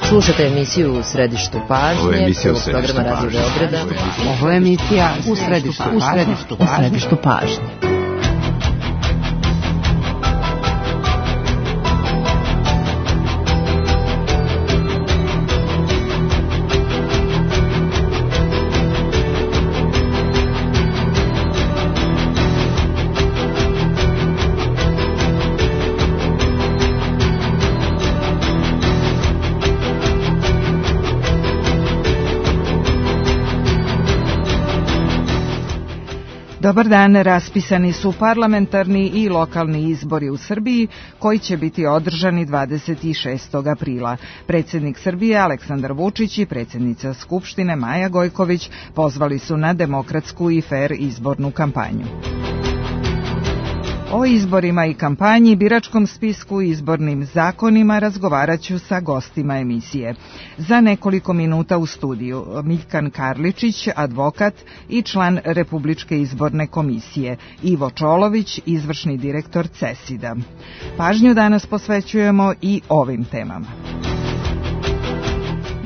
Slušate emisiju U središtu pažnje, prvog programa Radio Beograda. Ovo je emisija U središtu pažnje. Dobar dan, raspisani su parlamentarni i lokalni izbori u Srbiji koji će biti održani 26. aprila. Predsjednik Srbije Aleksandar Vučić i predsjednica Skupštine Maja Gojković pozvali su na demokratsku i fer izbornu kampanju. O izborima i kampanji, biračkom spisku i izbornim zakonima razgovarat ću sa gostima emisije. Za nekoliko minuta u studiju Miljkan Karličić, advokat i član Republičke izborne komisije, Ivo Čolović, izvršni direktor CESID-a. Pažnju danas posvećujemo i ovim temama.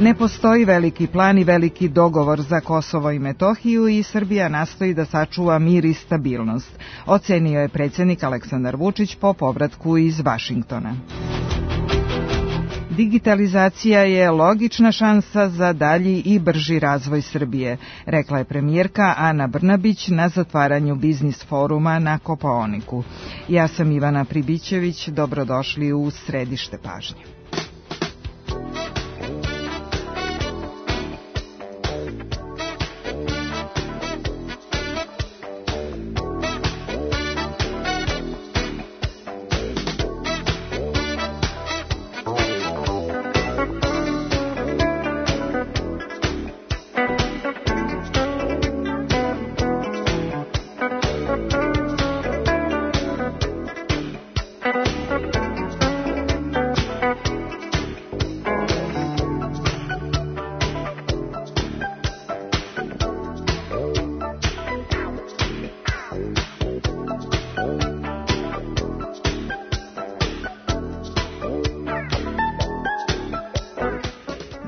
Ne postoji veliki plan i veliki dogovor za Kosovo i Metohiju i Srbija nastoji da sačuva mir i stabilnost, ocenio je predsjednik Aleksandar Vučić po povratku iz Vašingtona. Digitalizacija je logična šansa za dalji i brži razvoj Srbije, rekla je premijerka Ana Brnabić na zatvaranju biznis foruma na Kopaoniku. Ja sam Ivana Pribićević, dobrodošli u središte pažnje.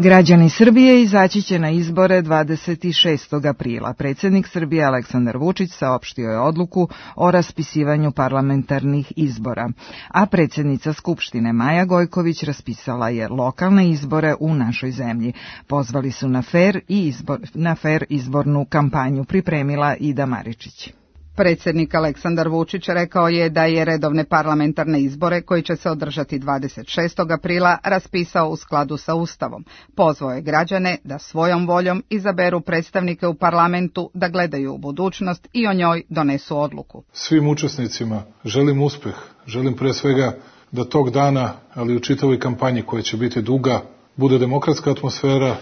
Građani Srbije izaći će na izbore 26. aprila. Predsjednik Srbije Aleksandar Vučić saopštio je odluku o raspisivanju parlamentarnih izbora, a predsjednica Skupštine Maja Gojković raspisala je lokalne izbore u našoj zemlji. Pozvali su na fer izbornu kampanju, pripremila Ida Maričić. Predsjednik Aleksandar Vučić rekao je da je redovne parlamentarne izbore koji će se održati 26. aprila raspisao u skladu sa Ustavom. Pozvao je građane da svojom voljom izaberu predstavnike u parlamentu, da gledaju u budućnost i o njoj donesu odluku. Svim učesnicima želim uspjeh, želim pre svega da tog dana, ali u čitavoj kampanji koja će biti duga, bude demokratska atmosfera,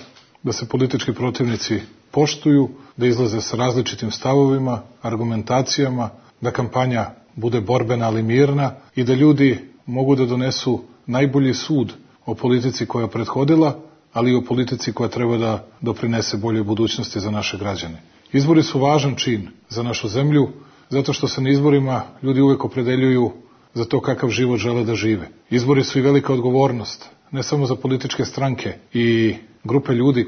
da se politički protivnici poštuju, da izlaze sa različitim stavovima, argumentacijama, da kampanja bude borbena ali mirna i da ljudi mogu da donesu najbolji sud o politici koja je prethodila, ali i o politici koja treba da doprinese boljoj budućnosti za naše građane. Izbori su važan čin za našu zemlju, zato što se na izborima ljudi uvek opredeljuju za to kakav život žele da žive. Izbori su i velika odgovornost, ne samo za političke stranke i grupe ljudi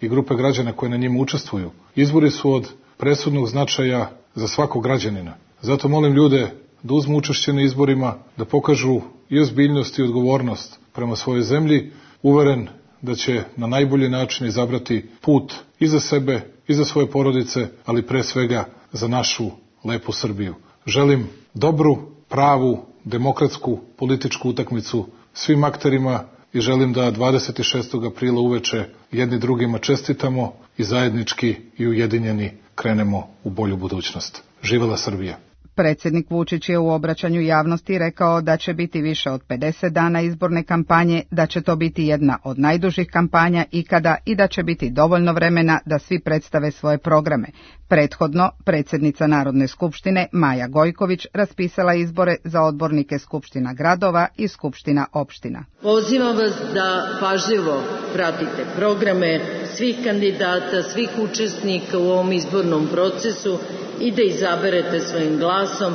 i grupe građana koje na njima učestvuju. Izbori su od presudnog značaja za svakog građanina. Zato molim ljude da uzmu učešće na izborima, da pokažu i ozbiljnost i odgovornost prema svojoj zemlji, uveren da će na najbolji način izabrati put i za sebe, i za svoje porodice, ali pre svega za našu lepu Srbiju. Želim dobru, pravu, demokratsku političku utakmicu svim akterima i želim da 26. aprila uveče jedni drugima čestitamo i zajednički i ujedinjeni krenemo u bolju budućnost. Živela Srbija! Predsjednik Vučić je u obraćanju javnosti rekao da će biti više od 50 dana izborne kampanje, da će to biti jedna od najdužih kampanja ikada i da će biti dovoljno vremena da svi predstave svoje programe. Prethodno, predsjednica Narodne skupštine Maja Gojković raspisala izbore za odbornike skupština gradova i skupština opština. Pozivam vas da pažljivo pratite programe svih kandidata, svih učesnika u ovom izbornom procesu i da izaberete svojim glasom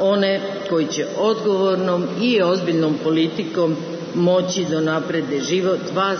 one koji će odgovornom i ozbiljnom politikom moći da naprede život vas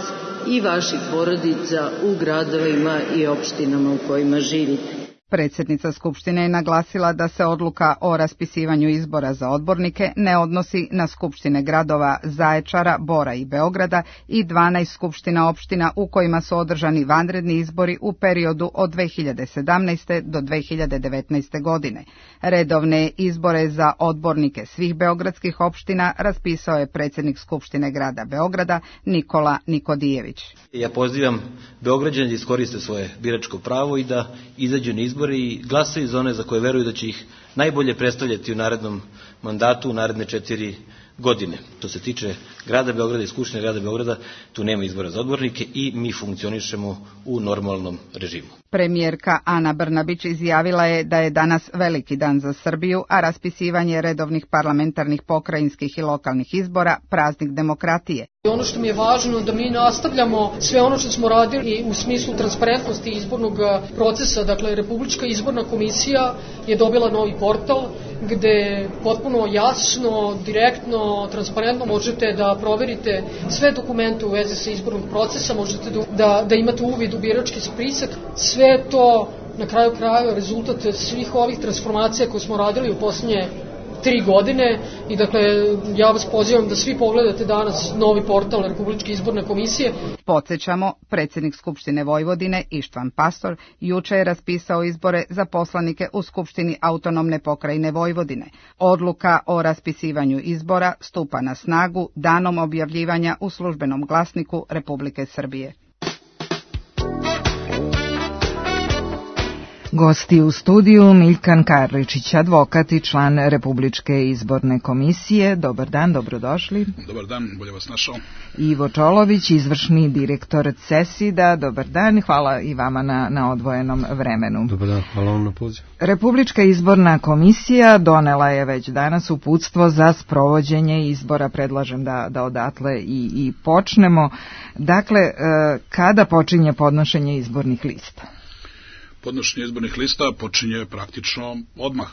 i vaših porodica u gradovima i opštinama u kojima živite. Predsjednica Skupštine je naglasila da se odluka o raspisivanju izbora za odbornike ne odnosi na skupštine gradova Zaječara, Bora i Beograda i 12 skupština opština u kojima su održani vanredni izbori u periodu od 2017. do 2019. godine. Redovne izbore za odbornike svih beogradskih opština raspisao je predsjednik Skupštine grada Beograda Nikola Nikodijević. Ja pozivam Beograđane da iskoriste svoje biračko pravo i da izađu na izbore i glasaju za one za koje veruju da će ih najbolje predstavljati u narednom mandatu, u naredne 4 godine. To se tiče grada Beograda i Skupštine grada Beograda, tu nema izbora za odbornike i mi funkcionišemo u normalnom režimu. Premijerka Ana Brnabić izjavila je da je danas veliki dan za Srbiju, a raspisivanje redovnih parlamentarnih, pokrajinskih i lokalnih izbora praznik demokratije. Ono što mi je važno da mi nastavljamo sve ono što smo radili u smislu transparentnosti izbornog procesa. Dakle, Republička izborna komisija je dobila novi portal gde potpuno jasno, direktno, transparentno možete da proverite sve dokumente u vezi sa izbornog procesa, možete da imate uvid u birački spisak. Sve to na kraju krajeva rezultat svih ovih transformacija koje smo radili u posljednje 3 godine i dakle ja vas pozivam da svi pogledate danas novi portal Republičke izborne komisije. Podsjećamo, predsjednik Skupštine Vojvodine Ištvan Pastor juče je raspisao izbore za poslanike u Skupštini autonomne pokrajine Vojvodine. Odluka o raspisivanju izbora stupa na snagu danom objavljivanja u službenom glasniku Republike Srbije. Gosti u studiju Miljkan Karličić, advokat i član Republičke izborne komisije. Dobar dan, dobrodošli. Dobar dan, bolje vas našao. Ivo Čolović, izvršni direktor CESID-a. Dobar dan, hvala i vama na odvojenom vremenu. Dobar dan, hvala vam na pozivu. Republička izborna komisija donela je već danas uputstvo za sprovođenje izbora. Predlažem da odatle i počnemo. Dakle, kada počinje podnošenje izbornih lista? Podnošenje izbornih lista počinje praktično odmah.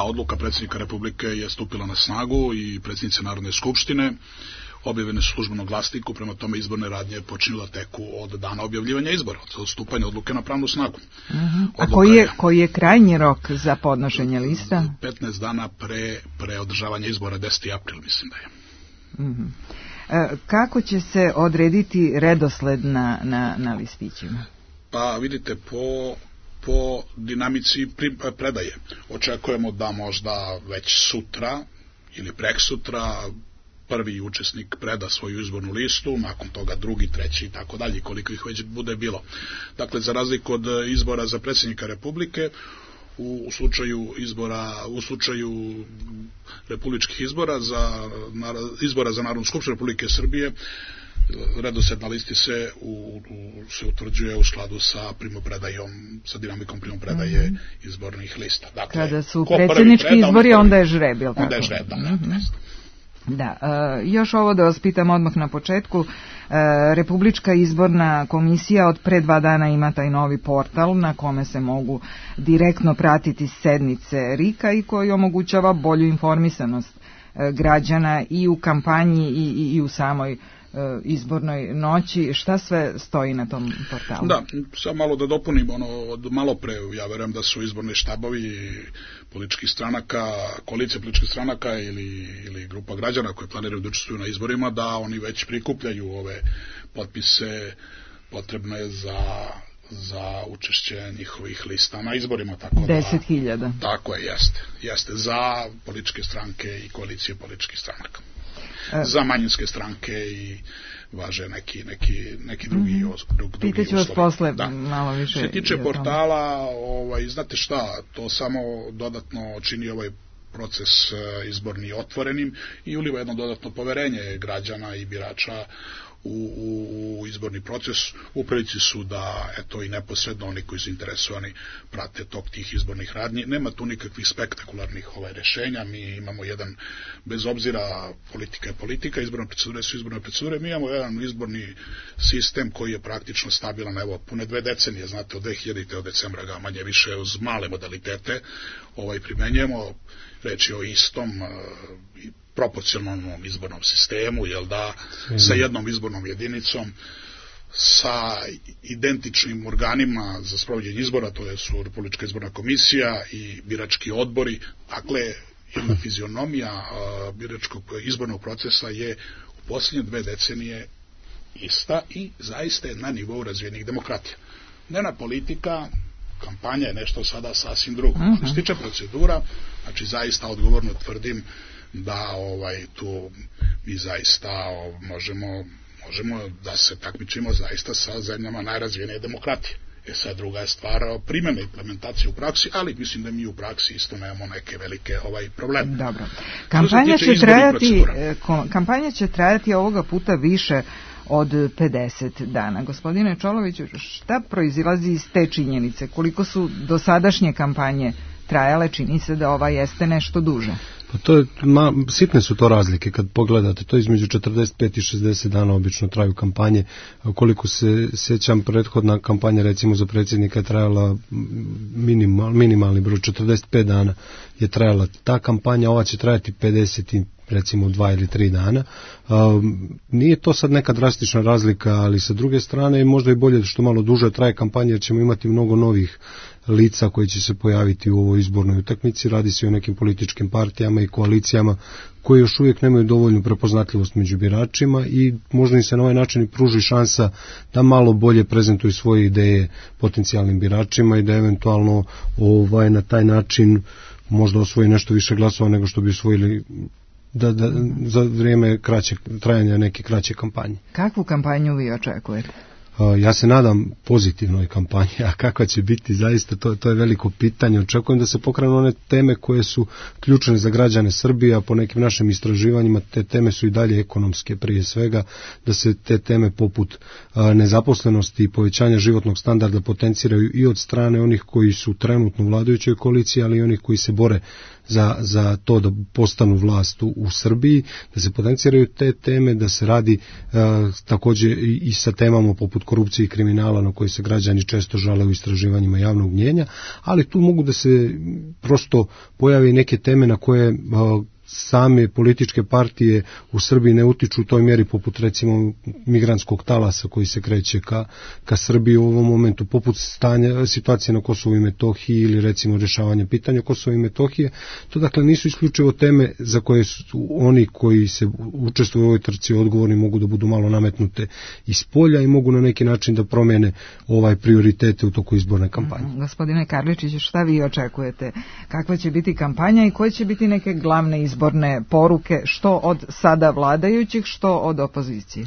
Odluka predsjednika Republike je stupila na snagu i predsjednice Narodne skupštine objavljene su službenom glasniku, prema tome izborne radnje počinju da teku od dana objavljivanja izbora, od stupanja odluke na pravnu snagu. A koji je krajnji rok za podnošenje lista? 15 dana pre održavanja izbora, 10. april mislim da je. Kako će se odrediti redosled na listićima? Pa vidite, po dinamici predaje. Očekujemo da možda već sutra ili preksutra prvi učesnik preda svoju izbornu listu, nakon toga drugi, treći i tako dalje, koliko ih već bude bilo. Dakle, za razliku od izbora za predsjednika Republike, u slučaju republičkih izbora za Narodnu skupštinu Republike Srbije, redosled na listi se utvrđuje u skladu sa sa dinamikom primopredaje izbornih lista. Dakle, kada su predsjednički izbori, onda je žreb, jel tako? Onda je žreb, Da, još ovo da vas pitam odmah na početku. Republička izborna komisija od pre 2 dana ima taj novi portal na kome se mogu direktno pratiti sednice RIK-a i koji omogućava bolju informisanost građana i u kampanji i u samoj izbornoj noći. Šta sve stoji na tom portalu? Da, samo malo da dopunim od malo pre, ja verujem da su izborni štabovi političkih stranaka, koalicije političkih stranaka ili grupa građana koji planiraju da učestvuju na izborima, da oni već prikupljaju ove potpise potrebne za učešće njihovih lista na izborima. 10.000. Tako je, jeste za političke stranke i koalicije političkih stranaka. Za manjinske stranke i važe neki drugi uslovi. Pitaću vas posle malo više. Što se tiče portala, znate šta, to samo dodatno čini ovaj proces izborni otvorenim i uliva jedno dodatno poverenje građana i birača u izborni proces. U prilici su da i neposredno oni koji su interesovani prate tok tih izbornih radnji. Nema tu nikakvih spektakularnih rešenja. Mi imamo jedan, bez obzira, politika je politika, izborne procedure su izborne procedure, mi imamo jedan izborni sistem koji je praktično stabilan, pune 2 decenije, znate, od 2000. od decembra ga manje više uz male modalitete primenjujemo. Reč je o istom proporcionalnom izbornom sistemu, jel da, sa jednom izbornom jedinicom, sa identičnim organima za sprovođenje izbora, to su Republička izborna komisija i birački odbori. Dakle, jedna fizionomija biračkog izbornog procesa je u posljednje 2 decenije ista i zaista je na nivou razvijenih demokratija. Dnevna politika, kampanja je nešto sada sasvim drugo. Što se tiče procedura, znači zaista odgovorno tvrdim da tu mi zaista možemo da se takmičimo zaista sa zemljama najrazvijenije demokratije. Sad druga je stvar primjene implementacije u praksi, ali mislim da mi u praksi isto nemamo neke velike probleme. Dobro. Kampanja će trajati ovoga puta više od 50 dana. Gospodine Čoloviću, šta proizilazi iz te činjenice? Koliko su dosadašnje kampanje trajale? Čini se da ova jeste nešto duže. Pa to je, sitne su to razlike kad pogledate, to između 45 i 60 dana obično traju kampanje. Koliko se sjećam, prethodna kampanja recimo za predsjednika je trajala minimalni broj, 45 dana je trajala ta kampanja, ova će trajati 50 recimo 2 ili 3 dana. Nije to sad neka drastična razlika, ali sa druge strane možda i bolje što malo duže traje kampanja, jer ćemo imati mnogo novih lica koji će se pojaviti u ovoj izbornoj utakmici. Radi se o nekim političkim partijama i koalicijama koji još uvijek nemaju dovoljnu prepoznatljivost među biračima i možda im se na ovaj način i pruži šansa da malo bolje prezentuju svoje ideje potencijalnim biračima i da eventualno na taj način možda osvoji nešto više glasova nego što bi osvojili za vrijeme trajanja neke kraće kampanje. Kakvu kampanju vi očekujete? Ja se nadam pozitivnoj kampanji, a kakva će biti zaista, to je veliko pitanje. Očekujem da se pokrenu one teme koje su ključne za građane Srbije, a po nekim našim istraživanjima te teme su i dalje ekonomske prije svega, da se te teme poput nezaposlenosti i povećanja životnog standarda potenciraju i od strane onih koji su trenutno u vladajućoj koaliciji, ali i onih koji se bore za to da postanu vlast u Srbiji, da se potenciraju te teme, da se radi također i sa temama poput korupcije i kriminala na koje se građani često žale u istraživanjima javnog mnijenja, ali tu mogu da se prosto pojave i neke teme na koje same političke partije u Srbiji ne utiču u toj mjeri, poput recimo migrantskog talasa koji se kreće ka Srbiji u ovom momentu, poput situacije na Kosovu i Metohiji ili recimo rješavanja pitanja Kosova i Metohije. To dakle nisu isključivo teme za koje su oni koji se učestvuju u ovoj trci odgovorni, mogu da budu malo nametnute iz polja i mogu na neki način da promijene prioritete u toku izborne kampanje. Gospodine Karličiću, šta vi očekujete? Kakva će biti kampanja i koje će biti neke glavne izborne poruke, što od sada vladajućih, što od opozicije?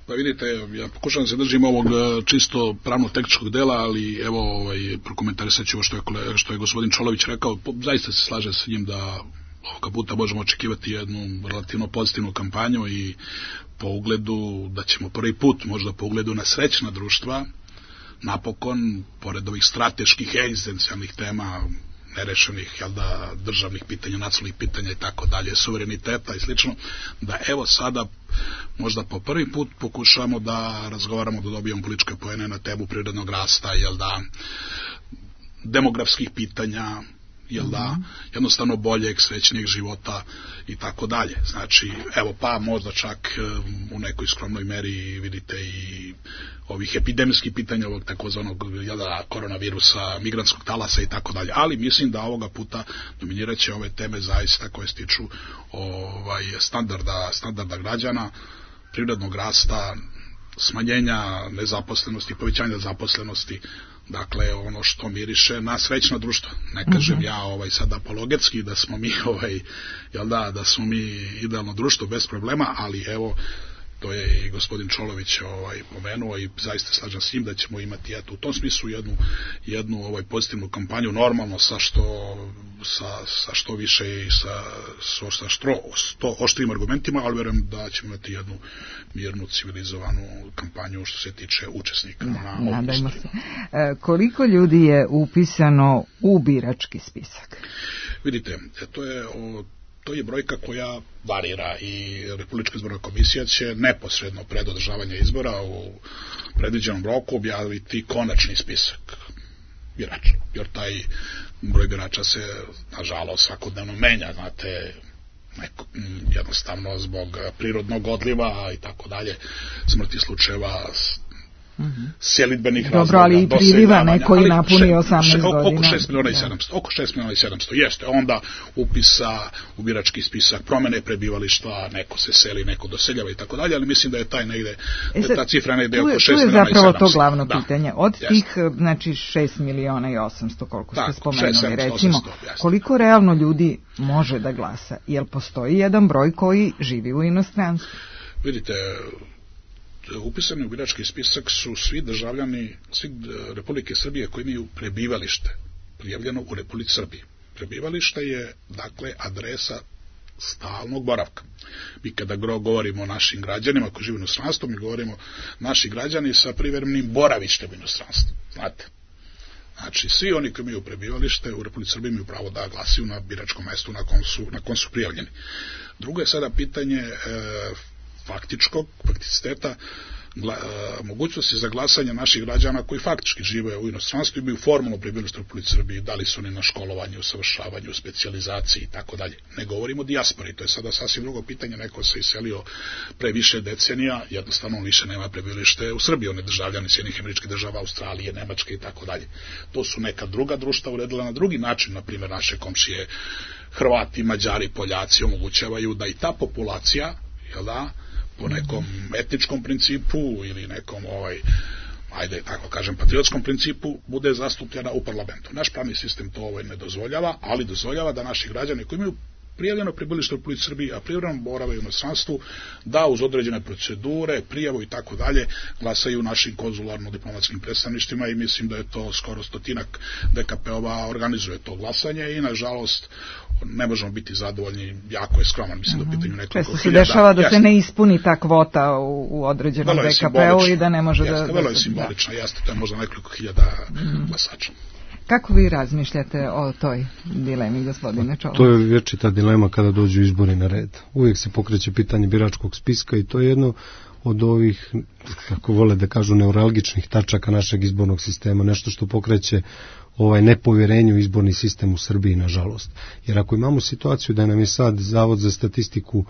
Pa vidite, ja pokušam da se držim ovog čisto pravno-tehničkog dela, ali evo prokomentarisat ću što je gospodin Čolović rekao. Zaista se slažem sa njim da ovoga puta možemo očekivati jednu relativno pozitivnu kampanju i po ugledu da ćemo prvi put, možda po ugledu na srećna društva, napokon, pored ovih strateških egzistencijalnih tema, nerešenih državnih pitanja, nacionalnih pitanja i tako dalje, suvereniteta i slično, da evo sada možda po prvi put pokušamo da razgovaramo, da dobijemo političke poene na temu prirodnog rasta, demografskih pitanja, jednostavno boljeg, srećnijeg života i tako dalje. Znači, evo pa možda čak u nekoj skromnoj meri vidite i ovih epidemijskih pitanja, ovog takozvanog koronavirusa, migrantskog talasa i tako dalje. Ali mislim da ovoga puta dominirat će ove teme zaista koje se tiču standarda građana, prirodnog rasta, smanjenja nezaposlenosti, povećanja zaposlenosti, dakle ono što miriše na srećno društvo. Ne kažem ja sad apologetski da smo mi da smo mi idealno društvo bez problema, ali evo to je i gospodin Čolović pomenuo i zaista slažem s njim da ćemo imati u tom smislu jednu pozitivnu kampanju, normalno sa što više i sa što oštrijim argumentima, ali vjerujem da ćemo imati jednu mirnu, civilizovanu kampanju što se tiče učesnika na ovom izboru. Koliko ljudi je upisano u birački spisak? Vidite, to je brojka koja varira i Republička izborna komisija će neposredno pred održavanje izbora u predviđenom roku objaviti konačni spisak birača. Jer taj broj birača se, nažalost, svakodnevno menja. Znate, jednostavno zbog prirodnog odliva i tako dalje, smrti slučajeva, selidbenih razloga. Dobro, ali i priliva neko i napuni 18 godina. Oko 6 miliona i 700 jeste. Onda upisa u birački spisak, promene prebivališta, neko se seli, neko doseljava i tako dalje, ali mislim da je taj negde, ta cifra negde oko 6 miliona i 700. Tu je zapravo to glavno pitanje. Od tih, znači 6 miliona i 800, koliko ste spomenuli, recimo, koliko realno ljudi može da glasa? Jel postoji jedan broj koji živi u inostranstvu? Vidite, upisani u birački spisak su svi državljani, svi Republike Srbije koji imaju prebivalište prijavljeno u Republici Srbiji. Prebivalište je, dakle, adresa stalnog boravka. Mi kada govorimo o našim građanima koji žive u inostranstvu, mi govorimo naši građani sa privremenim boravištem u inostranstvu. Znate? Znači, svi oni koji imaju prebivalište u Republici Srbiji imaju pravo da glasaju na biračkom mestu na kom su prijavljeni. Drugo je sada pitanje fakticiteta mogućnosti za glasanje naših građana koji faktički žive u inostranstvu i imaju formalno prebivalište u Republici Srbiji, da li su oni na školovanju, usavršavanju, specijalizaciji i tako dalje. Ne govorimo o dijaspori, to je sada sasvim drugo pitanje, neko se iselio pre više decenija, jednostavno on više nema prebivalište u Srbiji, on je državljan Sjedinjenih Američkih Država, Australije, Nemačke i tako dalje. To su neka druga društva uredila na drugi način, na primjer naše komšije Hrvati, Mađari, Poljaci omogućavaju da i ta populacija, jel da, po nekom etničkom principu ili nekom ajde tako kažem patriotskom principu bude zastupljena u parlamentu. Naš pravni sistem to ne dozvoljava, ali dozvoljava da naši građani koji imaju prijavljeno prebivalište u Republici Srbiji, a privremeno borave u inostranstvu, da uz određene procedure, prijavu i tako dalje glasaju u našim konzularno-diplomatskim predstavništvima i mislim da je to skoro 100 DKP-ova organizuje to glasanje i nažalost ne možemo biti zadovoljni, jako je skroman, mislim da u pitanju nekoliko hiljada. Se dešava da se ne ispuni ta kvota u određenom DKP-u i da ne može da... Vrlo je simbolično, jeste, to je možda nekoliko hiljada glasača. Kako vi razmišljate o toj dilemi, gospodine Čolović? To je vječita dilema kada dođu izbori na red. Uvijek se pokreće pitanje biračkog spiska i to je jedno od ovih, kako vole da kažu, neuralgičnih tačaka našeg izbornog sistema, nešto što pokreće nepovjerenje u izborni sistem u Srbiji, nažalost. Jer ako imamo situaciju da nam je sad Zavod za statistiku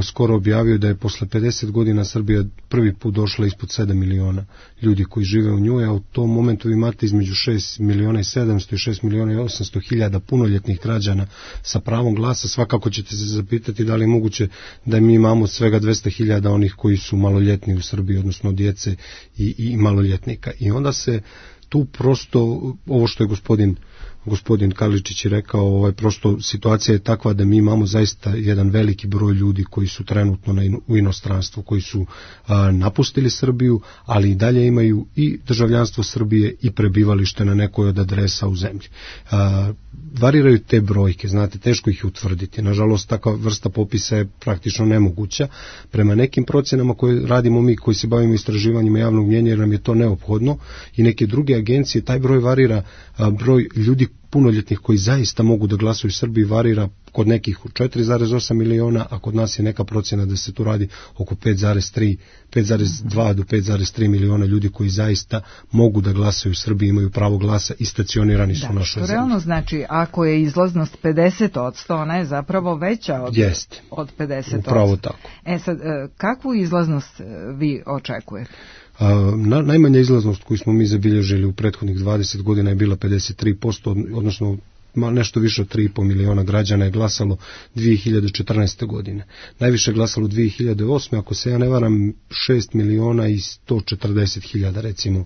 skoro objavio da je posle 50 godina Srbija prvi put došla ispod 7 miliona ljudi koji žive u njoj, a u tom momentu vi imate između 6 miliona i 700 i 6 miliona i 800 hiljada punoljetnih građana sa pravom glasa, svakako ćete se zapitati da li je moguće da mi imamo svega 200 hiljada onih koji su maloljetni u Srbiji, odnosno djece i maloljetnika. I onda se tu prosto, ovo što je gospodin Karličić je rekao, prosto situacija je takva da mi imamo zaista jedan veliki broj ljudi koji su trenutno u inostranstvu, koji su napustili Srbiju, ali i dalje imaju i državljanstvo Srbije i prebivalište na nekoj od adresa u zemlji. Variraju te brojke, znate, teško ih utvrditi. Nažalost, takva vrsta popisa je praktično nemoguća. Prema nekim procjenama koje radimo mi, koji se bavimo istraživanjima javnog mnjenja, jer nam je to neophodno, i neke druge agencije, taj broj varira, broj ljudi punoljetnih koji zaista mogu da glasuju u Srbiji varira kod nekih u 4,8 miliona, a kod nas je neka procjena da se tu radi oko 5,2 do 5,3 miliona ljudi koji zaista mogu da glasaju u Srbiji, imaju pravo glasa i stacionirani su u našoj zemlji. Realno znači, ako je izlaznost 50%, ona je zapravo veća od 50%. Upravo tako. Sad, kakvu izlaznost vi očekujete? Najmanja izlaznost koju smo mi zabilježili u prethodnih 20 godina je bila 53%, odnosno nešto više od 3,5 miliona građana je glasalo 2014. godine. Najviše je glasalo 2008. Ako se ja ne varam, 6 miliona i 140 hiljada recimo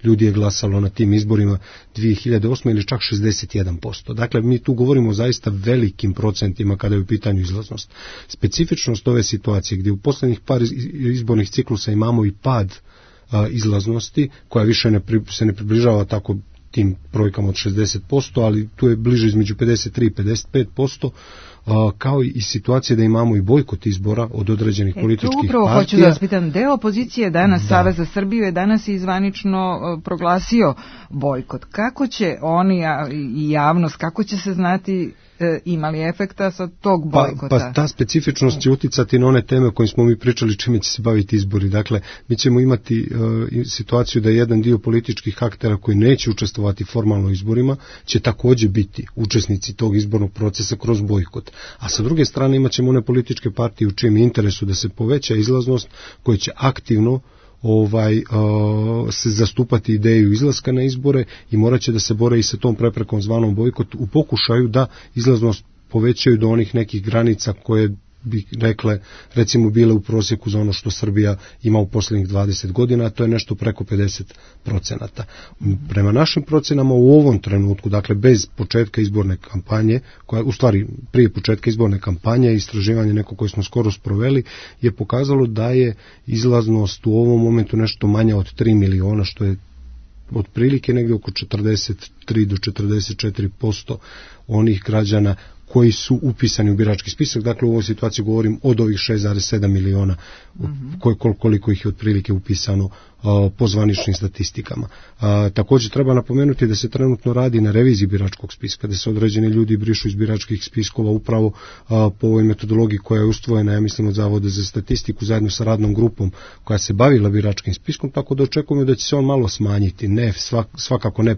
ljudi je glasalo na tim izborima 2008. ili čak 61%. Dakle, mi tu govorimo o zaista velikim procentima kada je u pitanju izlaznost. Specifičnost ove situacije gdje u posljednjih par izbornih ciklusa imamo i pad izlaznosti, koja više se ne približava tako tim brojkama od 60%, ali tu je bliže između 53 i 55%, kao i situacije da imamo i bojkot izbora od određenih političkih partija. Upravo hoću da vas pitam, deo opozicije danas, Savez za Srbiju je danas izvanično proglasio bojkot. Kako će oni i javnost, kako će se znati imali efekta sa tog bojkota? Pa ta specifičnost će uticati na one teme o kojim smo mi pričali, čime će se baviti izbori. Dakle, mi ćemo imati situaciju da jedan dio političkih aktera koji neće učestvovati formalno u izborima će također biti učesnici tog izbornog procesa kroz bojkot. A sa druge strane imat ćemo one političke partije u čijem interesu da se poveća izlaznost, koje će aktivno se zastupati ideju izlaska na izbore i morat će da se bore i sa tom preprekom zvanom bojkot u pokušaju da izlaznost povećaju do onih nekih granica koje bi rekle, recimo bile u prosjeku za ono što Srbija ima u posljednjih 20 godina, a to je nešto preko 50%. Prema našim procenama u ovom trenutku, dakle bez početka izborne kampanje, koja u stvari prije početka izborne kampanje, istraživanje neko koje smo skoro sproveli, je pokazalo da je izlaznost u ovom momentu nešto manja od 3 miliona, što je otprilike negdje oko 43 do 44% onih građana koji su upisani u birački spisak. Dakle, u ovoj situaciji govorim od ovih 6,7 miliona koliko ih je otprilike upisano po zvaničnim statistikama. Također treba napomenuti da se trenutno radi na reviziji biračkog spiska, da se određeni ljudi brišu iz biračkih spiskova upravo po ovoj metodologiji koja je ustvojena, ja mislim, od Zavoda za statistiku zajedno sa radnom grupom koja se bavila biračkim spiskom, tako da očekujemo da će se on malo smanjiti, ne svakako ne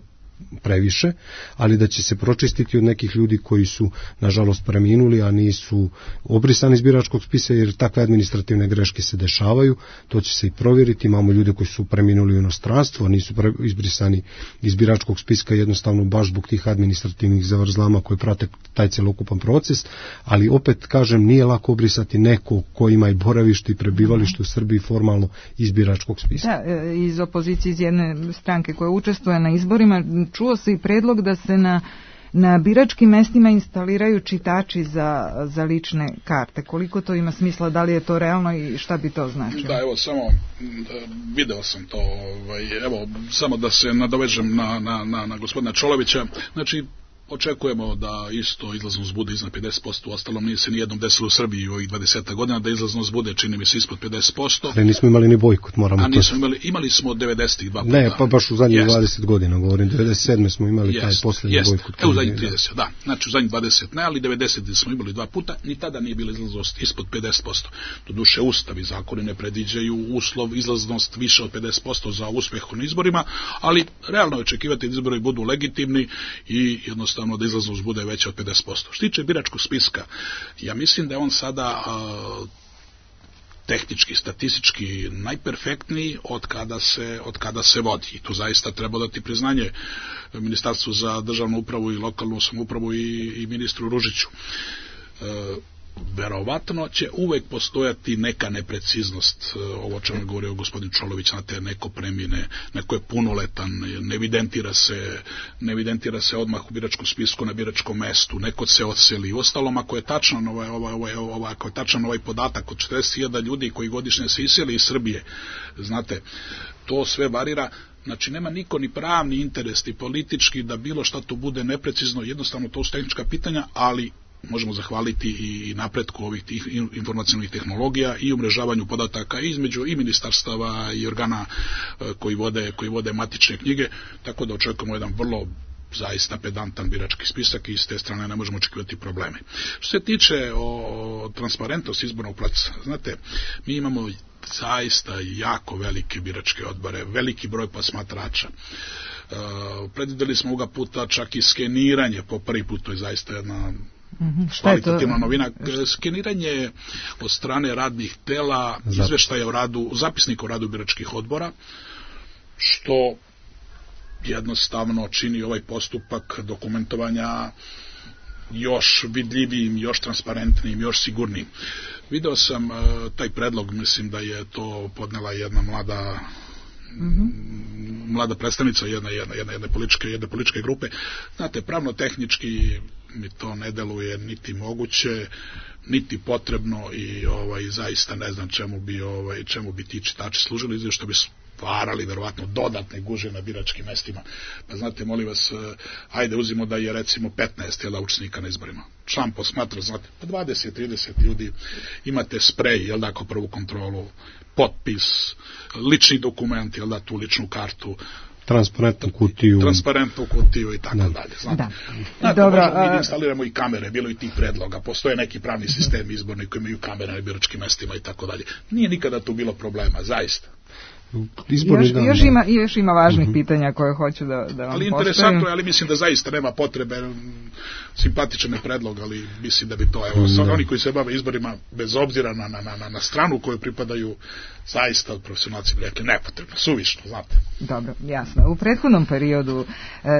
previše, ali da će se pročistiti od nekih ljudi koji su nažalost preminuli, a nisu obrisani iz biračkog spisa, jer takve administrativne greške se dešavaju, to će se i provjeriti. Imamo ljude koji su preminuli u inostranstvu, a nisu izbrisani iz biračkog spiska jednostavno baš zbog tih administrativnih zavrzlama koje prate taj celokupan proces, ali opet kažem, nije lako obrisati neko ko ima i boravište i prebivalište u Srbiji formalno iz biračkog spiska. Da, iz opozicije, iz jedne stranke koja učestvuje na izborima, čuo se i predlog da se na biračkim mestima instaliraju čitači za lične karte. Koliko to ima smisla, da li je to realno i šta bi to značilo? Da, evo, samo video sam to, evo, samo da se nadovežem na gospodina Čolovića. Znači, očekujemo da isto izlaznost bude iznad 50%, ostalom nije se nijednom desilo u Srbiji u ovih 20 godina da izlaznost bude, čini mi se, ispod 50%. Ali nismo imali ni bojkot, moramo to. Imali smo 92 puta. Ne, pa baš u zadnjih 20 godina, govorim, 97. smo imali taj posljednji bojkot. Evo u zadnjih 30, da. Znači u zadnjih 20 ne, ali 90 smo imali 2 puta, ni tada nije bila izlaznost ispod 50%. Doduše Ustav i zakoni ne predviđaju uslov izlaznost više od 50% za uspeh na izborima, ali realno je očekivati da izbori budu legitimni i jednostavno da izlaznost bude veća od 50%. Što tiče biračkog spiska, ja mislim da je on sada tehnički, statistički najperfektniji od kada se vodi. I tu zaista treba dati priznanje Ministarstvu za državnu upravu i lokalnu samoupravu i ministru Ružiću. Verovatno će uvek postojati neka nepreciznost, ovo o čemu je govorio gospodin Čolović, na te neko premine, neko je punoletan, ne evidentira se odmah u biračkom spisku na biračkom mestu, neko se odseli. Ostalom, ako je tačan ovaj podatak od 40.000 ljudi koji godišnje se iseli iz Srbije, znate, to sve varira. Znači, nema niko ni pravni interes, ni politički da bilo šta tu bude neprecizno, jednostavno to su tehnička pitanja, ali možemo zahvaliti i napretku ovih tih informacionalnih tehnologija i umrežavanju podataka između i ministarstava i organa koji vode matične knjige, tako da očekujemo jedan vrlo zaista pedantan birački spisak i s te strane ne možemo očekivati probleme. Što se tiče o transparentnosti izbornog procesa, znate, mi imamo zaista jako velike biračke odbore, veliki broj posmatrača. Predvideli smo ovoga puta čak i skeniranje po prvi put, to je zaista jedna kvalitativna novina. Skeniranje od strane radnih tela, izveštaja o radu, zapisnika o radu biračkih odbora, što jednostavno čini ovaj postupak dokumentovanja još vidljivijim, još transparentnijim, još sigurnijim. Video sam taj predlog, mislim da je to podnela jedna mlada predstavnica jedne političke grupe. Znate, pravno-tehnički mi to ne deluje niti moguće, niti potrebno i zaista ne znam čemu bi ti čitači služili, zato što bi stvarali verovatno dodatne gužve na biračkim mestima. Pa znate, molim vas, ajde uzimo da je recimo 15 učesnika na izborima. Član posmatra, znate, pa 20-30 ljudi, imate sprej, ako prvu kontrolu, potpis, lični dokument, tu ličnu kartu. transparentnu kutiju i tako dalje. Znate, možemo mi instaliramo i kamere, bilo i tih predloga, postoje neki pravni sistem izborni koji imaju kamere na biračkim mestima i tako dalje. Nije nikada tu bilo problema, zaista. Još ima važnih pitanja koje hoću da vam postavim. Ali interesantno je, ali mislim da zaista nema potrebe, simpatičan je predlog, ali mislim da bi to, oni koji se bave izborima, bez obzira na stranu koju pripadaju, zaista od profesionalci bi rekli nepotrebno, suvišno, znate. Dobro, jasno. U prethodnom periodu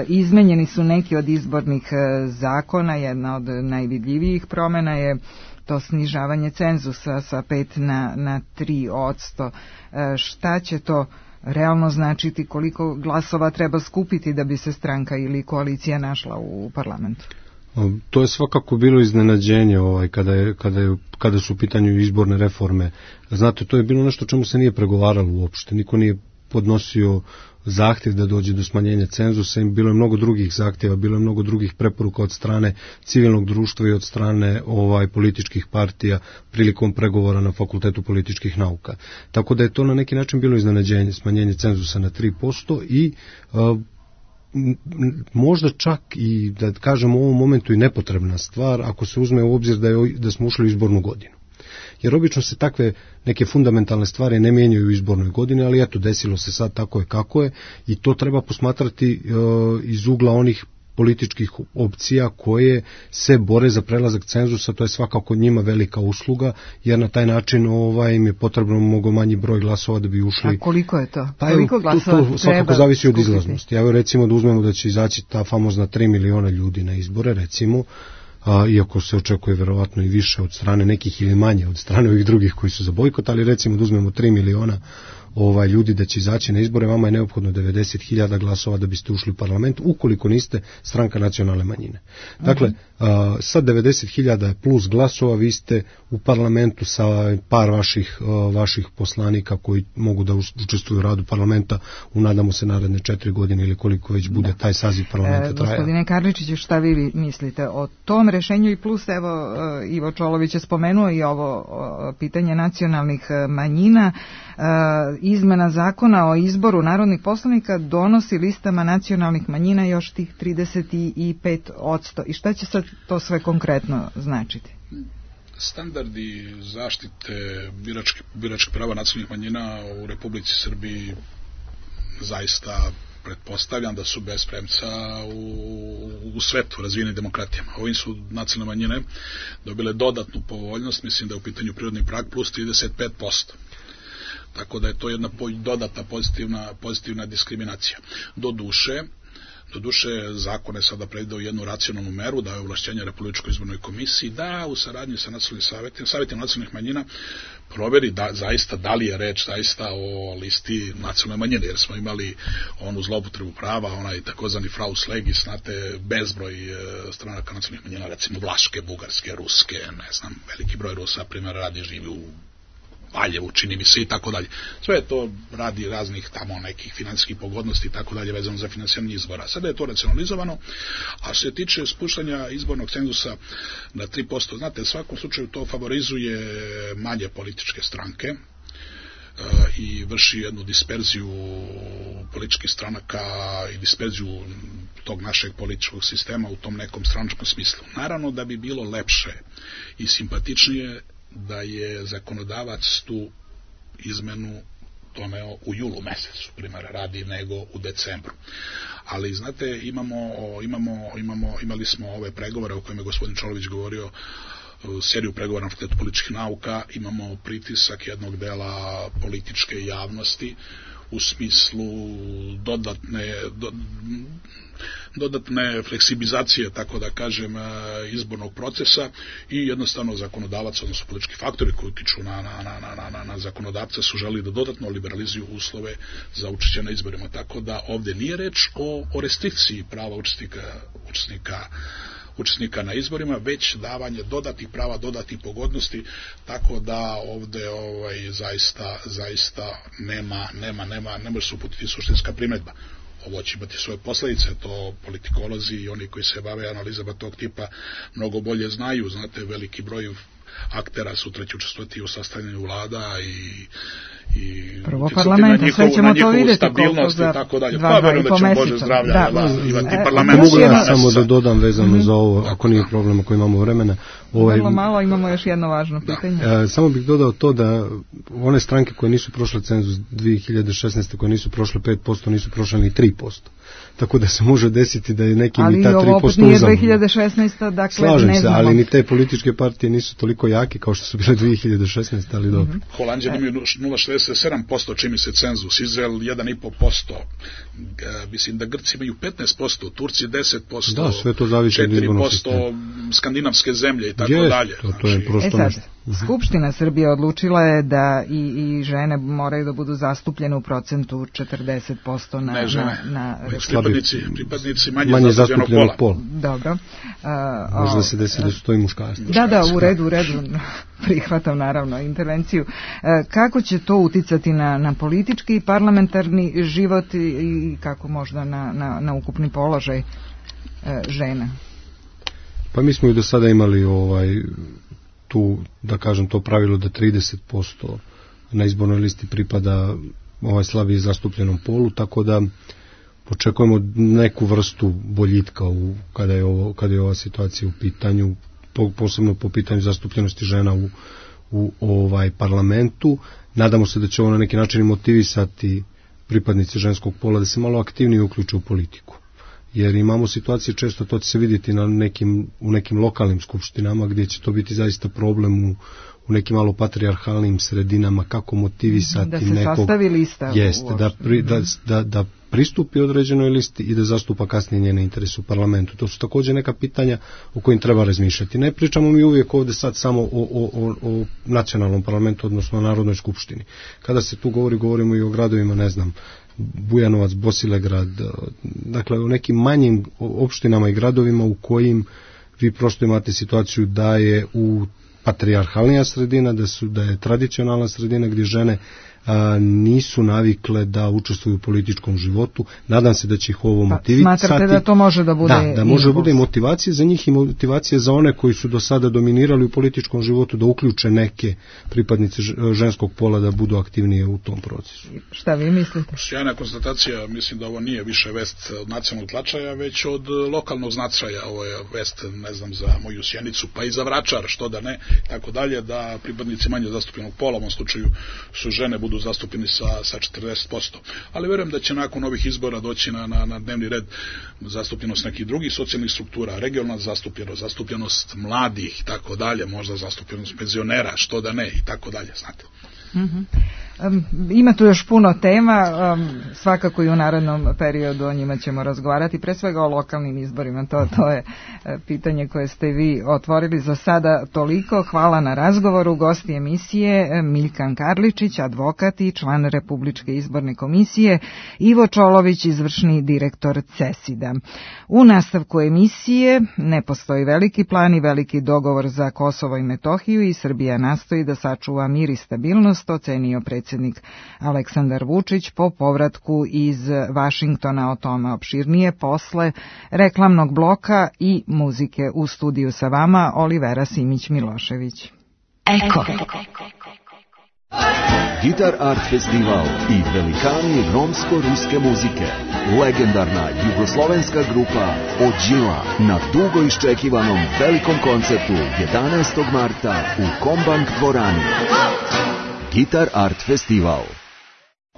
izmenjeni su neki od izbornih zakona, jedna od najvidljivijih promjena je to snižavanje cenzusa sa 5 na 3%. Šta će to realno značiti, koliko glasova treba skupiti da bi se stranka ili koalicija našla u parlamentu? To je svakako bilo iznenađenje kada su u pitanju izborne reforme. Znate, to je bilo nešto čemu se nije pregovaralo uopšte. Niko nije podnosio zahtjev da dođe do smanjenja cenzusa, bilo je mnogo drugih zahtjeva, bilo je mnogo drugih preporuka od strane civilnog društva i od strane političkih partija prilikom pregovora na Fakultetu političkih nauka. Tako da je to na neki način bilo iznenađenje, smanjenje cenzusa na 3% i možda čak i, da kažemo u ovom momentu, i nepotrebna stvar ako se uzme u obzir da smo ušli u izbornu godinu. Jer obično se takve neke fundamentalne stvari ne mijenjaju u izbornoj godini, ali eto, desilo se sad tako je kako je i to treba posmatrati iz ugla onih političkih opcija koje se bore za prelazak cenzusa. To je svakako njima velika usluga, jer na taj način im je potrebno mnogo manji broj glasova da bi ušli. A koliko je to? Koliko glasova to svakako zavisi od izlaznosti. Evo recimo da uzmemo da će izaći ta famozna 3 miliona ljudi na izbore, recimo, iako se očekuje verovatno i više od strane nekih ili manje od strane ovih drugih koji su za bojkot, ali recimo da uzmemo 3 miliona ljudi da će izaći na izbore, vama je neophodno 90.000 glasova da biste ušli u parlament, ukoliko niste stranka nacionalne manjine. Dakle, sa 90.000 plus glasova vi ste u parlamentu sa par vaših poslanika koji mogu da učestvuju u radu parlamenta u, nadamo se, naredne 4 godine ili koliko već bude taj saziv parlamenta traja. Gospodine Karličiću, šta vi mislite o tom rešenju? I plus, evo, Ivo Čolović je spomenuo i ovo pitanje nacionalnih manjina. Izmena zakona o izboru narodnih poslanika donosi listama nacionalnih manjina još tih 35%. I šta će sad to sve konkretno značiti? Standardi zaštite biračkih prava nacionalnih manjina u Republici Srbiji zaista pretpostavljam da su bez premca u svetu razvijenim demokratijama. Ovim su nacionalne manjine dobile dodatnu povoljnost, mislim da je u pitanju prirodni prag plus 35%. Tako da je to jedna dodatna pozitivna diskriminacija. Doduše, zakon je sada predvideo jednu racionalnu meru, da je ovlašćenje Republičkoj izbornoj komisiji da u saradnji sa nacionalnim savjetima nacionalnih manjina proveri zaista da li je reč zaista o listi nacionalne manjine, jer smo imali onu zloupotrebu prava, onaj takozvani fraus legis, znate, bezbroj stranaka nacionalnih manjina, recimo vlaške, bugarske, ruske, ne znam, veliki broj Rusa, primjer radi, živi u Valjevu, čini mi se, i tako dalje. Sve to radi raznih tamo nekih financijskih pogodnosti i tako dalje vezano za finansiranje izbora. Sada je to racionalizovano, a što se tiče spuštanja izbornog cenzusa na 3%, znate, u svakom slučaju to favorizuje manje političke stranke i vrši jednu disperziju političkih stranaka i disperziju tog našeg političkog sistema u tom nekom stranačkom smislu. Naravno da bi bilo lepše i simpatičnije da je zakonodavac tu izmenu doneo u julu mesecu, primjera radi, nego u decembru. Ali, znate, imali smo ove pregovore o kojima je gospodin Čolović govorio, seriju pregovora na Fakultetu političkih nauka, imamo pritisak jednog dela političke javnosti u smislu dodatne fleksibilizacije, tako da kažem, izbornog procesa i jednostavno zakonodavac, odnosno politički faktori koji utiču na zakonodavca su želi da dodatno liberalizuju uslove za učešće na izborima. Tako da ovdje nije reč o restrikciji prava učesnika na izborima, već davanje dodatnih prava, dodatnih pogodnosti, tako da ovdje zaista ne može se uputiti suštinska primjedba. Ovo će imati svoje posljedice, to politikolozi i oni koji se bave analizama tog tipa mnogo bolje znaju. Znate, veliki broj aktera sutra će učestvovati u sastavljanju vlada prvo parlamenta, sve ćemo to vidjeti koliko za 2,5 meseca. Mogu ja samo da dodam vezano za ovo, ako nije problem, ako imamo vremena. Vrlo malo, imamo još jedno važno pitanje. Samo bih dodao to da one stranke koje nisu prošle cenzus 2016. koje nisu prošle 5%, nisu prošle ni 3%. Tako da se može desiti da je nekim i ta 3% uzam. Ali ovo opet nije 2016. Dakle, slažem ne znamo. Se, ali ni te političke partije nisu toliko jake kao što su bile 2016. ali dobro. Holandija imaju 0,67%, čini se cenzus, Izrael 1,5%, mislim da Grci imaju 15%, Turci 10%, da, sve to zavisi od izbornog 4% skandinavske zemlje i tako dalje. To je prosto nešto. Skupština Srbije odlučila je da i žene moraju da budu zastupljene u procentu 40% na pripadnici manje zastupljenog pola. Dobro. Možda se desi da su to i muškarci. Da, u redu. Prihvatam naravno intervenciju. Kako će to uticati na politički i parlamentarni život i kako možda na ukupni položaj žena? Pa mi smo i do sada imali tu, da kažem, to pravilo da 30% na izbornoj listi pripada slabije zastupljenom polu, tako da očekujemo neku vrstu boljitka kada je ova situacija u pitanju, posebno po pitanju zastupljenosti žena u parlamentu. Nadamo se da će ovo na neki način motivisati pripadnice ženskog pola da se malo aktivnije uključe u politiku. Jer imamo situacije, često to će se vidjeti u nekim lokalnim skupštinama gdje će to biti zaista problem u nekim malo patrijarhalnim sredinama, kako motivisati da se sastavi lista. Jeste, da pristupi određenoj listi i da zastupa kasnije njene interese u parlamentu. To su također neka pitanja o kojim treba razmišljati. Ne pričamo mi uvijek ovdje sad samo o nacionalnom parlamentu, odnosno o Narodnoj skupštini. Kada se tu govorimo i o gradovima, ne znam, Bujanovac, Bosilegrad, dakle u nekim manjim opštinama i gradovima u kojim vi prosto imate situaciju da je u patrijarhalnija sredina, da je tradicionalna sredina gdje žene nisu navikle da učestvuju u političkom životu. Nadam se da će ih ovo motivisati. Smatrate da to može da bude da može bude motivacija za njih i motivacija za one koji su do sada dominirali u političkom životu, da uključe neke pripadnice ženskog pola da budu aktivnije u tom procesu. Šta vi mislite? Sjajna konstatacija, mislim da ovo nije više vest od nacionalnog značaja, već od lokalnog značaja. Ovo je vest, ne znam, za moju Sjenicu, pa i za Vračar, što da ne, tako dalje, da pripadnici manje zastupljenog pola, u ovom slučaju su žene, budu zastupljeni sa 40%. Ali verujem da će nakon ovih izbora doći na dnevni red zastupljenost nekih drugih socijalnih struktura, regionalna zastupljenost mladih i tako dalje, možda zastupljenost penzionera, što da ne i tako dalje, znate. Ima tu još puno tema, svakako i u narednom periodu o njima ćemo razgovarati, pre svega o lokalnim izborima, to je pitanje koje ste vi otvorili. Za sada toliko, hvala na razgovoru. Gosti emisije Miljkan Karličić, advokat i član Republičke izborne komisije, Ivo Čolović, izvršni direktor CESID-a. U nastavku emisije ne postoji veliki plan i veliki dogovor za Kosovo i Metohiju i Srbija nastoji da sačuva mir i stabilnost, ocenio predsjednik Aleksandar Vučić po povratku iz Vašingtona. O tome opširnije posle reklamnog bloka i muzike. U studiju sa vama Olivera Simić-Milošević. Eko. Gitar Art Festival i velikani romsko-ruske muzike. Legendarna jugoslovenska grupa Ođila na dugo iščekivanom velikom koncertu 11. marta u Kombank dvorani. Gitar Art Festival.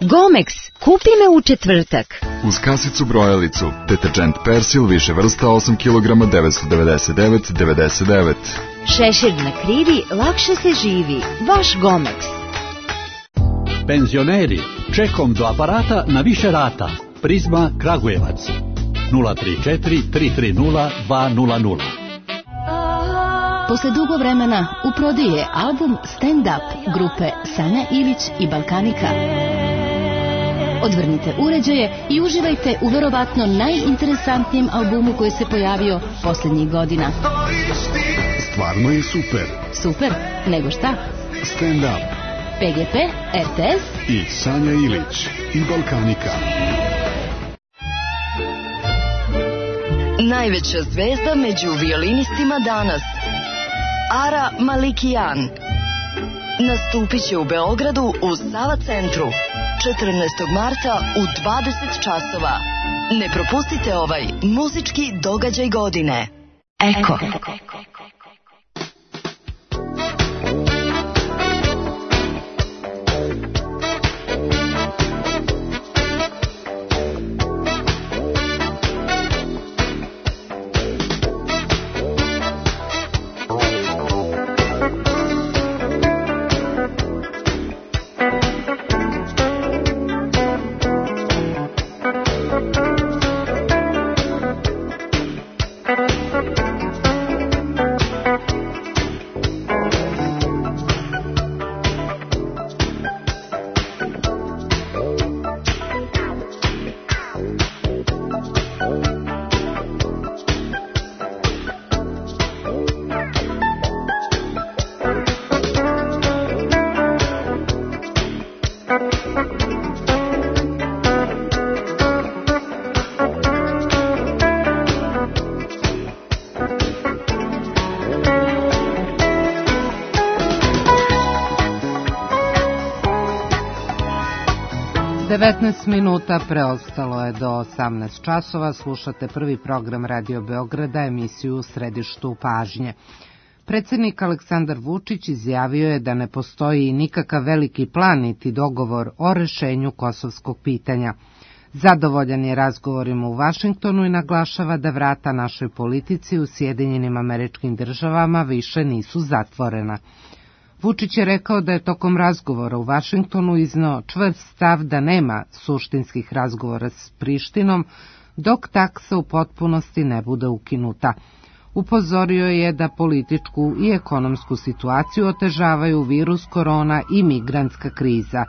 Gomex, kupi me u četvrtak. Uz kasicu brojalicu, deterđent Persil više vrsta 8 kg 999,99. Šešir na krivi, lakše se živi. Vaš Gomex. Penzioneri, čekom do aparata na više rata. Prizma Kragujevac 034 330 200. Posle dugo vremena u prodaji je album Stand Up grupe Sanja Ilić i Balkanika. Odvrnite uređaje i uživajte u verovatno najinteresantnijem albumu koji se pojavio posljednjih godina. Stvarno je super. Super? Nego šta? Stand Up. PGP, RTS i Sanja Ilić i Balkanika. Najveća zvezda među violinistima danas, Ara Malikian. nastupit će u Beogradu u Sava centru 14. marta u 20 časova. Ne propustite ovaj muzički događaj godine. Eko. 19 minuta preostalo je do 18 časova. Slušate prvi program Radio Beograda, emisiju U središtu pažnje. Predsjednik Aleksandar Vučić izjavio je da ne postoji nikakav veliki plan niti dogovor o rešenju kosovskog pitanja. Zadovoljan je razgovorima u Vašingtonu i naglašava da vrata našoj politici u Sjedinjenim Američkim Državama više nisu zatvorena. Vučić je rekao da je tokom razgovora u Vašingtonu izneo čvrst stav da nema suštinskih razgovora s Prištinom dok taksa u potpunosti ne bude ukinuta. Upozorio je da političku i ekonomsku situaciju otežavaju virus korona i migrantska kriza.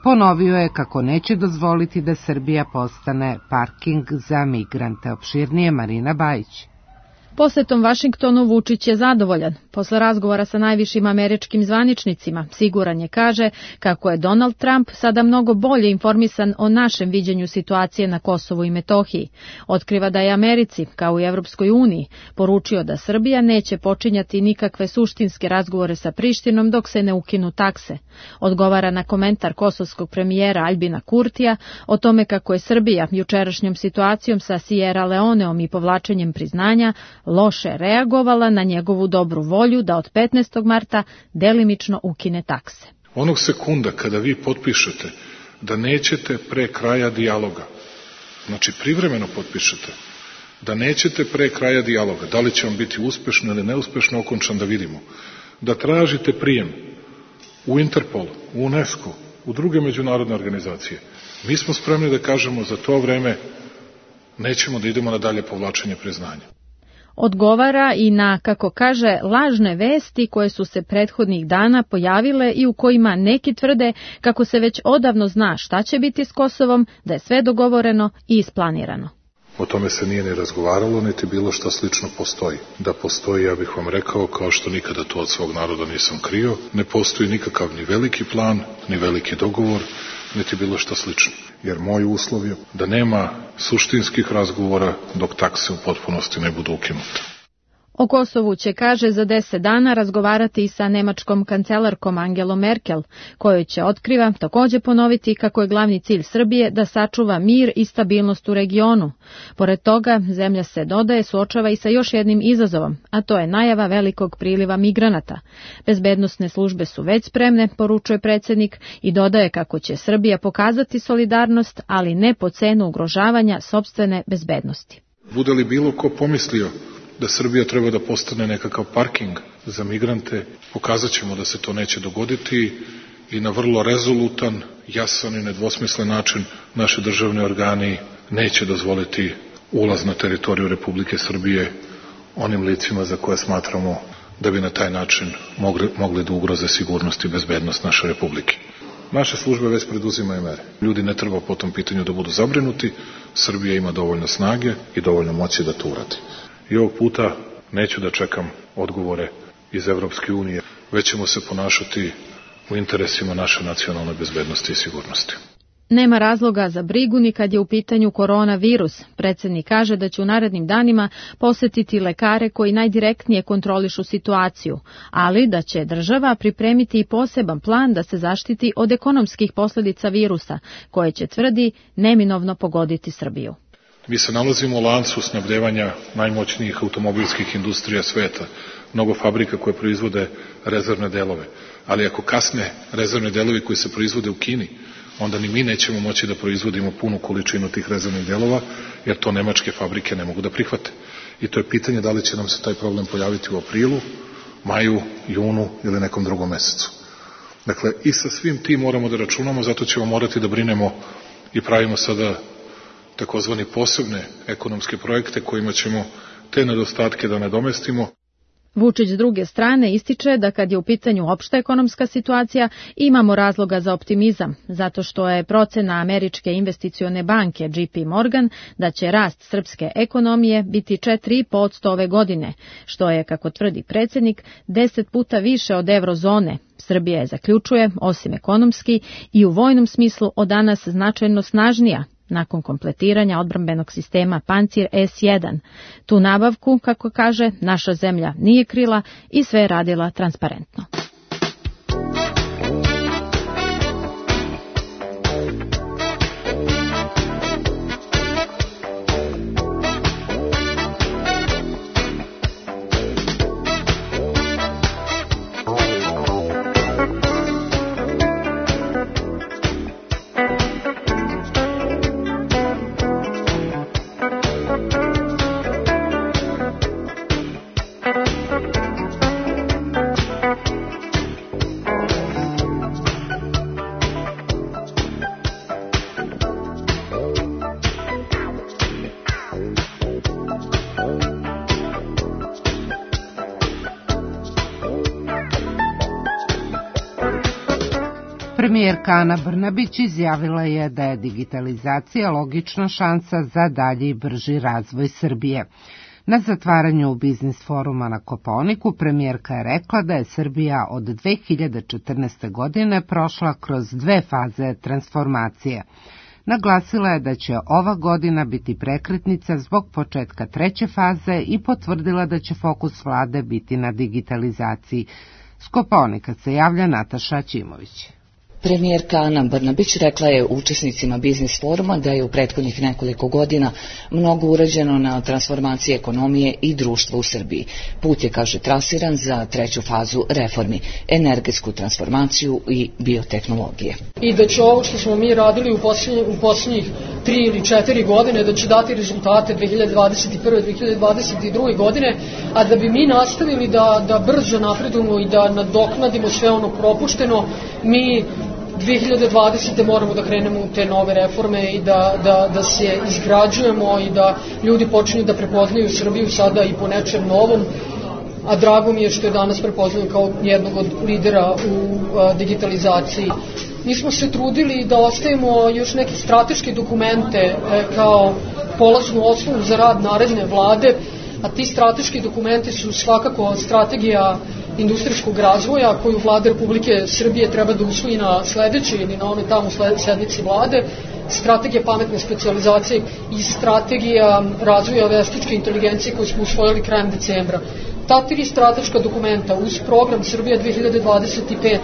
Ponovio je kako neće dozvoliti da Srbija postane parking za migrante. Opširnije Marina Bajić. Posetom Vašingtonu Vučić je zadovoljan. Posle razgovora sa najvišim američkim zvaničnicima, siguran je, kaže, kako je Donald Trump sada mnogo bolje informisan o našem viđenju situacije na Kosovu i Metohiji. Otkriva da je Americi, kao i Evropskoj uniji, poručio da Srbija neće počinjati nikakve suštinske razgovore sa Prištinom dok se ne ukinu takse. Odgovara na komentar kosovskog premijera Aljbina Kurtija o tome kako je Srbija jučerašnjom situacijom sa Sierra Leoneom i povlačenjem priznanja loše reagovala na njegovu dobru volju da od 15. marta delimično ukine takse. Onog sekunda kada vi potpišete da nećete pre kraja dijaloga, znači privremeno potpišete, da nećete pre kraja dijaloga, da li će on biti uspešno ili neuspešno okončan da vidimo, da tražite prijem u Interpol, u UNESCO, u druge međunarodne organizacije, mi smo spremni da kažemo za to vreme nećemo da idemo na dalje povlačenje priznanja. Odgovara i na, kako kaže, lažne vesti koje su se prethodnih dana pojavile i u kojima neki tvrde kako se već odavno zna šta će biti s Kosovom, da je sve dogovoreno i isplanirano. O tome se nije ni razgovaralo, niti bilo šta slično postoji. Da postoji, ja bih vam rekao, kao što nikada to od svog naroda nisam krio, ne postoji nikakav ni veliki plan, ni veliki dogovor, niti bilo šta slično. Jer moj uslov je da nema suštinskih razgovora dok takse u potpunosti ne budu ukinute. O Kosovu će, kaže, za 10 dana razgovarati i sa nemačkom kancelarkom Angelom Merkel, kojoj će, otkriva, također ponoviti kako je glavni cilj Srbije da sačuva mir i stabilnost u regionu. Pored toga, zemlja se, dodaje, suočava i sa još jednim izazovom, a to je najava velikog priliva migranata. Bezbednosne službe su već spremne, poručuje predsjednik, i dodaje kako će Srbija pokazati solidarnost, ali ne po cenu ugrožavanja sopstvene bezbednosti. Bude li bilo ko pomislio da Srbija treba da postane nekakav parking za migrante, pokazat ćemo da se to neće dogoditi i na vrlo rezolutan, jasan i nedvosmislen način naši državni organi neće dozvoliti ulaz na teritoriju Republike Srbije onim licima za koje smatramo da bi na taj način mogli da ugroze sigurnost i bezbednost naše Republike. Naše službe već preduzimaju mere. Ljudi ne treba po tom pitanju da budu zabrinuti, Srbija ima dovoljno snage i dovoljno moći da to uradi. I ovog puta neću da čekam odgovore iz Evropske unije, već ćemo se ponašati u interesima naše nacionalne bezbednosti i sigurnosti. Nema razloga za brigu ni kad je u pitanju koronavirus. Predsjednik kaže da će u narednim danima posetiti lekare koji najdirektnije kontrolišu situaciju, ali da će država pripremiti i poseban plan da se zaštiti od ekonomskih posljedica virusa, koje će, tvrdi, neminovno pogoditi Srbiju. Mi se nalazimo u lancu snabdevanja najmoćnijih automobilskih industrija sveta, mnogo fabrika koje proizvode rezervne delove, ali ako kasne rezervne delovi koji se proizvode u Kini, onda ni mi nećemo moći da proizvodimo punu količinu tih rezervnih delova, jer to nemačke fabrike ne mogu da prihvate. I to je pitanje da li će nam se taj problem pojaviti u aprilu, maju, junu ili nekom drugom mesecu. Dakle, i sa svim tim moramo da računamo, zato ćemo morati da brinemo i pravimo sada takozvani posebne ekonomske projekte kojima ćemo te nedostatke da nadomestimo. Vučić s druge strane ističe da kad je u pitanju opšta ekonomska situacija imamo razloga za optimizam, zato što je procena Američke investicione banke JP Morgan da će rast srpske ekonomije biti 4,5% ove godine, što je, kako tvrdi predsjednik, 10 puta više od eurozone. Srbija je, zaključuje, osim ekonomski i u vojnom smislu od danas značajno snažnija, nakon kompletiranja odbrambenog sistema Pancir S1. Tu nabavku, kako kaže, naša zemlja nije krila i sve je radila transparentno. Premijerka Ana Brnabić izjavila je da je digitalizacija logična šansa za dalji i brži razvoj Srbije. Na zatvaranju biznis foruma na Kopaoniku premijerka je rekla da je Srbija od 2014. godine prošla kroz 2 faze transformacije. Naglasila je da će ova godina biti prekretnica zbog početka 3. faze i potvrdila da će fokus vlade biti na digitalizaciji. S Kopaonika se javlja Nataša Ćimović. Premijerka Ana Brnabić rekla je učesnicima biznis foruma da je u prethodnih nekoliko godina mnogo urađeno na transformaciji ekonomije i društva u Srbiji. Put je, kaže, trasiran za 3. fazu reformi, energetsku transformaciju i biotehnologije. I da će ovo što smo mi radili u posljednjih 3 ili 4 godine, da će dati rezultate 2021. 2022. godine, a da bi mi nastavili da brzo napredujemo i da nadoknadimo sve ono propušteno, mi 2020. moramo da krenemo u te nove reforme i da se izgrađujemo i da ljudi počinju da prepoznaju Srbiju sada i po nečem novom, a drago mi je što je danas prepoznaju kao jednog od lidera u digitalizaciji. Mi smo se trudili da ostavimo još neke strateške dokumente kao polaznu osnovu za rad naredne vlade, a ti strateški dokumenti su svakako strategija industrijskog razvoja koju Vlada Republike Srbije treba da usvoji na sledećoj ili na onoj tamo sednici vlade, strategija pametne specijalizacije i strategija razvoja veštačke inteligencije koju smo usvojili krajem decembra. Ta 3 strateška dokumenta uz program Srbija 2025.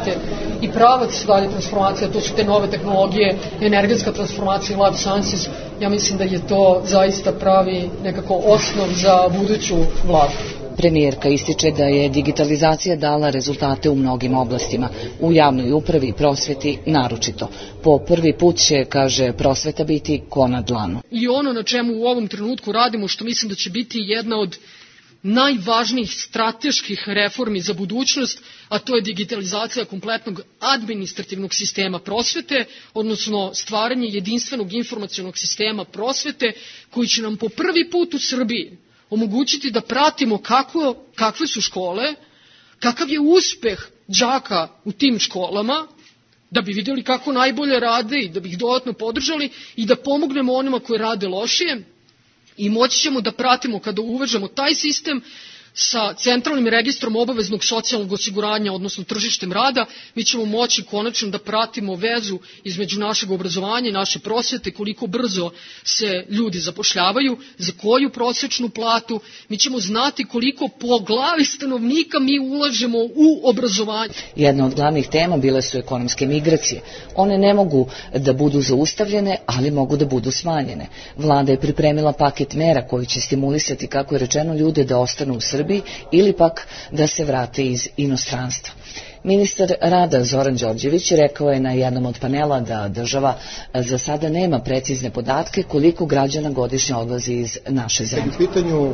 i pravac dalje transformacija, to su te nove tehnologije, energetska transformacija i life sciences, ja mislim da je to zaista pravi nekako osnov za buduću vladu. Premijerka ističe da je digitalizacija dala rezultate u mnogim oblastima, u javnoj upravi i prosveti naročito. Po prvi put će, kaže, prosveta biti ko na dlanu. I ono na čemu u ovom trenutku radimo, što mislim da će biti jedna od najvažnijih strateških reformi za budućnost, a to je digitalizacija kompletnog administrativnog sistema prosvete, odnosno stvaranje jedinstvenog informacionog sistema prosvete koji će nam po prvi put u Srbiji omogućiti da pratimo kakve su škole, kakav je uspeh đaka u tim školama, da bi vidjeli kako najbolje rade i da bi ih dodatno podržali i da pomognemo onima koji rade lošije. I moći ćemo da pratimo kada uvežemo taj sistem sa centralnim registrom obaveznog socijalnog osiguranja, odnosno tržištem rada, mi ćemo moći konačno da pratimo vezu između našeg obrazovanja i naše prosvete, koliko brzo se ljudi zapošljavaju, za koju prosječnu platu, mi ćemo znati koliko po glavi stanovnika mi ulažemo u obrazovanje. Jedna od glavnih tema bile su ekonomske migracije. One ne mogu da budu zaustavljene, ali mogu da budu smanjene. Vlada je pripremila paket mera koji će stimulisati, kako je rečeno, ljude da ostanu u Srbiji ili pak da se vrate iz inostranstva. Ministar rada Zoran Đorđević rekao je na jednom od panela da država za sada nema precizne podatke koliko građana godišnje odlazi iz naše zemlje. U pitanju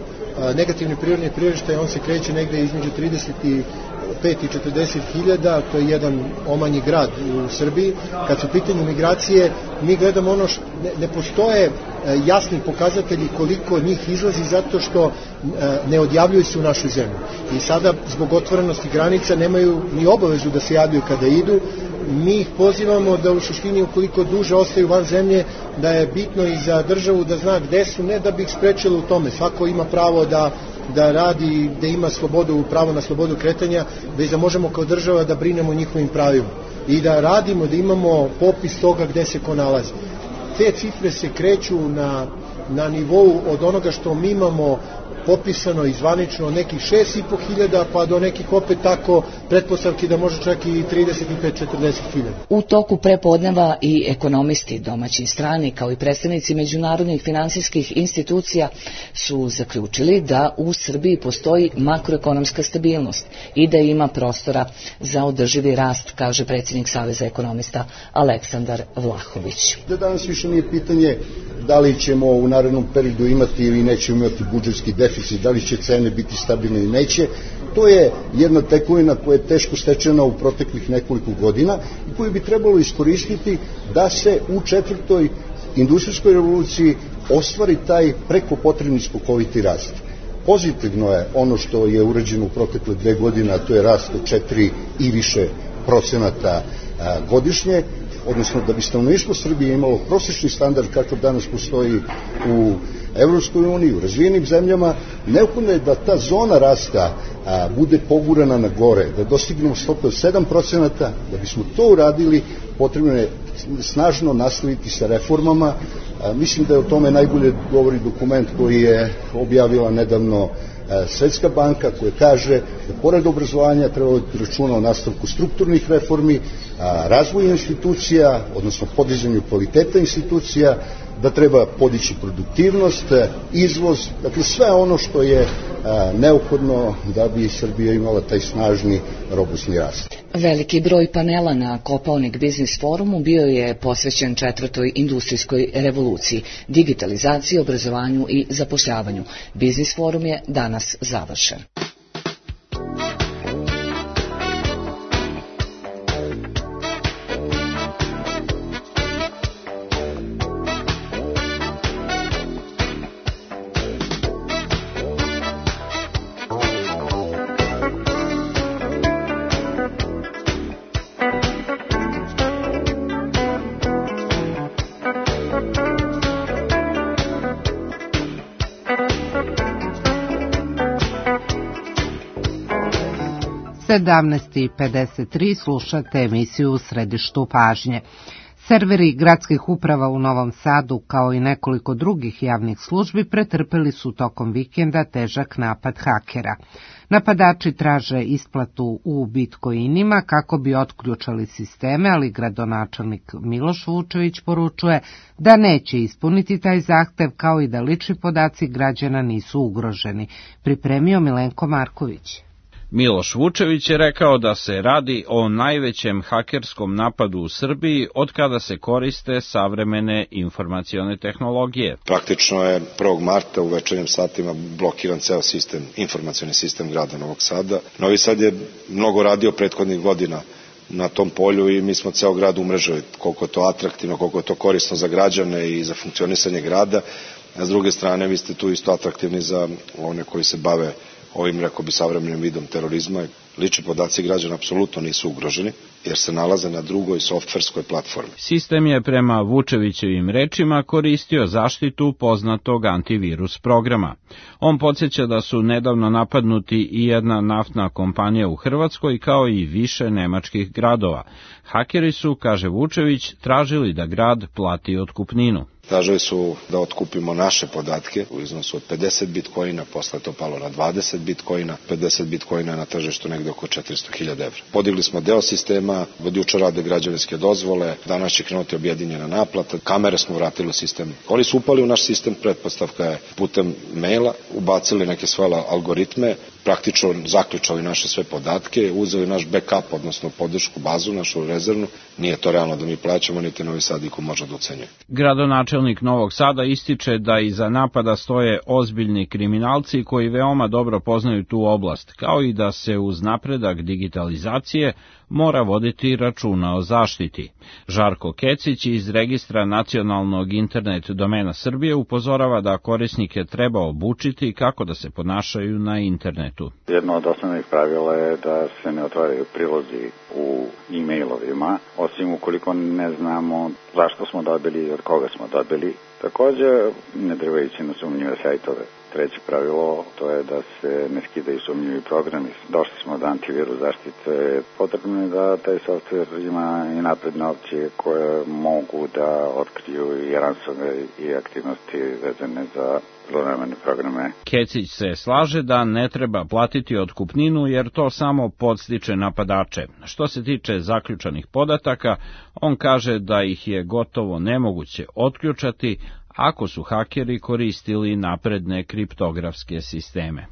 negativni prirodni priraštaj, on se kreće negde između 35 i 40 hiljada, to je jedan omanji grad u Srbiji. Kad su u pitanju migracije, mi gledamo ono što ne postoje jasni pokazatelji koliko njih izlazi zato što ne odjavljuju se u našoj zemlji. I sada zbog otvorenosti granica nemaju ni obavezu da se javljaju kada idu. Mi ih pozivamo da u suštini ukoliko duže ostaju van zemlje, da je bitno i za državu da zna gde su, ne da bi ih sprečilo u tome. Svako ima pravo da radi, da ima slobodu, pravo na slobodu kretanja, već da možemo kao država da brinemo o njihovim pravima i da radimo, da imamo popis toga gde se ko nalazi. Te cifre se kreću na nivou od onoga što mi imamo popisano i zvanično nekih 6.500 pa do nekih opet tako pretpostavki da može čak i 35-40 hiljada. U toku prepodneva i ekonomisti, domaći i strani, kao i predstavnici međunarodnih finansijskih institucija su zaključili da u Srbiji postoji makroekonomska stabilnost i da ima prostora za održivi rast, kaže predsjednik Saveza ekonomista Aleksandar Vlahović. Danas više nije pitanje da li ćemo u narednom periodu imati ili nećemo imati budžetski deficit, da li će cene biti stabilne ili neće. To je jedna tekovina koja je teško stečena u proteklih nekoliko godina i koju bi trebalo iskoristiti da se u četvrtoj industrijskoj revoluciji ostvari taj preko potrebni skokoviti rast. Pozitivno je ono što je urađeno u protekle 2 godine, a to je rast od 4 i više procenata godišnje, odnosno da bi stanovništvo Srbije imalo prosječni standard kakav danas postoji u Evropskoj uniji, u razvijenim zemljama, neophodno je da ta zona rasta bude pogurana na gore, da dostignemo stopu od 7%, da bismo to uradili, potrebno je snažno nastaviti sa reformama. Mislim da je o tome najbolje govori dokument koji je objavila nedavno Svetska banka, koja kaže da pored obrazovanja treba voditi računa o nastavku strukturnih reformi, razvoju institucija, odnosno podizanju kvaliteta institucija, da treba podići produktivnost, izvoz, dakle sve ono što je neophodno da bi Srbija imala taj snažni, robustni rast. Veliki broj panela na Kopaonik Biznis forumu bio je posvećen četvrtoj industrijskoj revoluciji, digitalizaciji, obrazovanju i zapošljavanju. Biznis forum je danas završen. U 17:53 slušate emisiju U središtu pažnje. Serveri gradskih uprava u Novom Sadu, kao i nekoliko drugih javnih službi, pretrpeli su tokom vikenda težak napad hakera. Napadači traže isplatu u bitcoinima kako bi otključali sisteme, ali gradonačelnik Miloš Vučević poručuje da neće ispuniti taj zahtev, kao i da lični podaci građana nisu ugroženi. Pripremio Milenko Marković. Miloš Vučević je rekao da se radi o najvećem hakerskom napadu u Srbiji od kada se koriste savremene informacione tehnologije. Praktično je 1. marta u večernjim satima blokiran ceo sistem, informacioni sistem grada Novog Sada. Novi Sad je mnogo radio prethodnih godina na tom polju i mi smo ceo grad umrežili, koliko je to atraktivno, koliko je to korisno za građane i za funkcionisanje grada. A s druge strane, vi ste tu isto atraktivni za one koji se bave ovim, rekao bi, savremenim vidom terorizma. lični podaci građana apsolutno nisu ugroženi, jer se nalaze na drugoj softverskoj platformi. Sistem je prema Vučevićevim rečima koristio zaštitu poznatog antivirus programa. On podsjeća da su nedavno napadnuti i jedna naftna kompanija u Hrvatskoj kao i više nemačkih gradova. Hakeri su, kaže Vučević, tražili da grad plati otkupninu. Tražili su da otkupimo naše podatke u iznosu od 50 bitcoina, posle to palo na 20 bitcoina, 50 bitcoina na tržištu negde oko 400.000 evra. Podigli smo deo sistema, od juče rade građevinske dozvole, danas će krenuti objedinjena naplata, kamere smo vratili u sistem. Oni su upali u naš sistem, pretpostavka je putem maila, ubacili neke svoje algoritme, praktično zaključali naše sve podatke, uzeli naš backup, odnosno podršku bazu, našu rezervnu. Nije to realno da mi plaćamo, niti Novi Sad iko može da ucenjuje. Gradonačelnik Novog Sada ističe da iza napada stoje ozbiljni kriminalci koji veoma dobro poznaju tu oblast, kao i da se uz napredak digitalizacije mora voditi računa o zaštiti. Žarko Kecić iz Registra nacionalnog internet domena Srbije upozorava da korisnike treba obučiti kako da se ponašaju na internetu. Jedno od osnovnih pravila je da se ne otvaraju prilozi u e-mailovima, osim ukoliko ne znamo zašto smo dobili i od koga smo dobili. Takođe, ne treba ići na sumnjive sajtove. Treće pravilo, to je da se ne skidaju sumnjivi programi. Došli smo do antivirus zaštite. Potrebno je da taj softver ima i napredne opcije koje mogu da otkriju i ransomware i aktivnosti vezane za zlonamerne programe. Kecić se slaže da ne treba platiti otkupninu jer to samo podstiče napadače. Što se tiče zaključanih podataka, on kaže da ih je gotovo nemoguće otključati ako su hakeri koristili napredne kriptografske sisteme.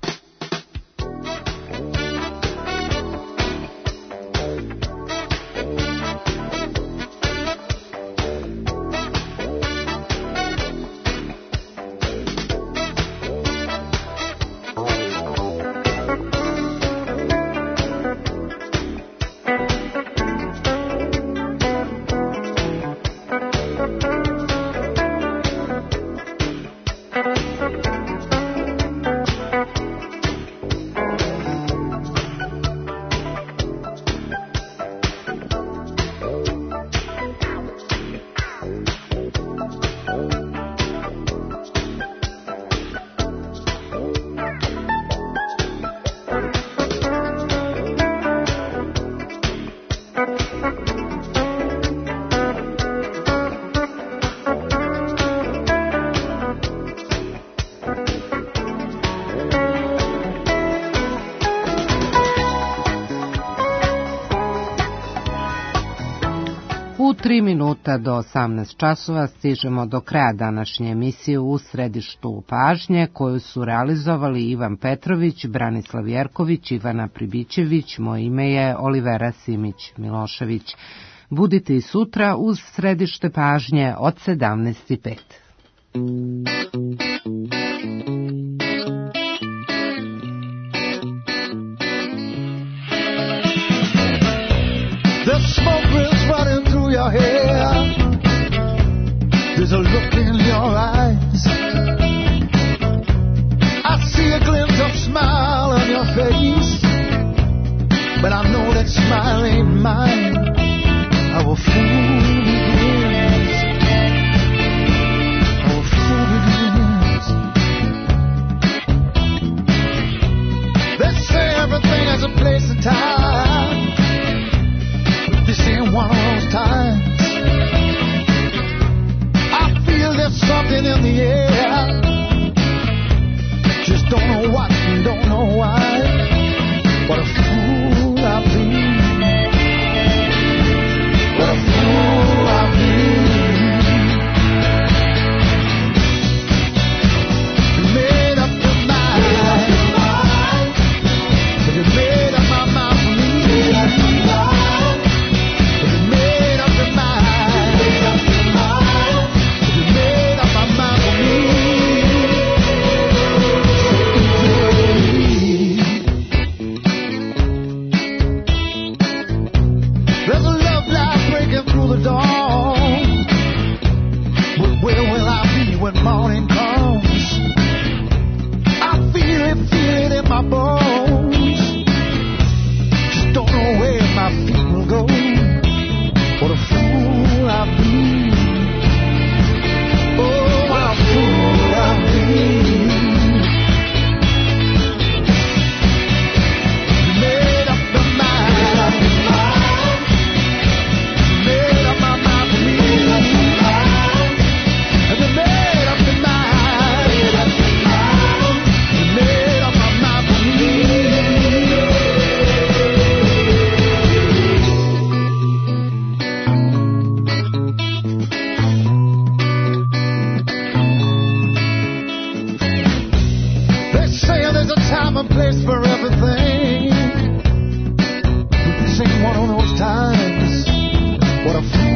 U 3 minuta do 18 časova stižemo do kraja današnje emisije U središtu pažnje, koju su realizovali Ivan Petrović, Branislav Jerković, Ivana Pribićević, moje ime je Olivera Simić-Milošević. Budite i sutra uz središte pažnje od 17:05. The smoke is running through your hair. There's a look in your eyes. I see a glimpse of smile on your face, but I know that smile ain't mine. Our fool begins. Our fool begins. They say everything has a place and time. This ain't one of those times. I feel there's something in the air. Just don't know what and don't know why. What a fool I've been. What a fool I've been. times. What a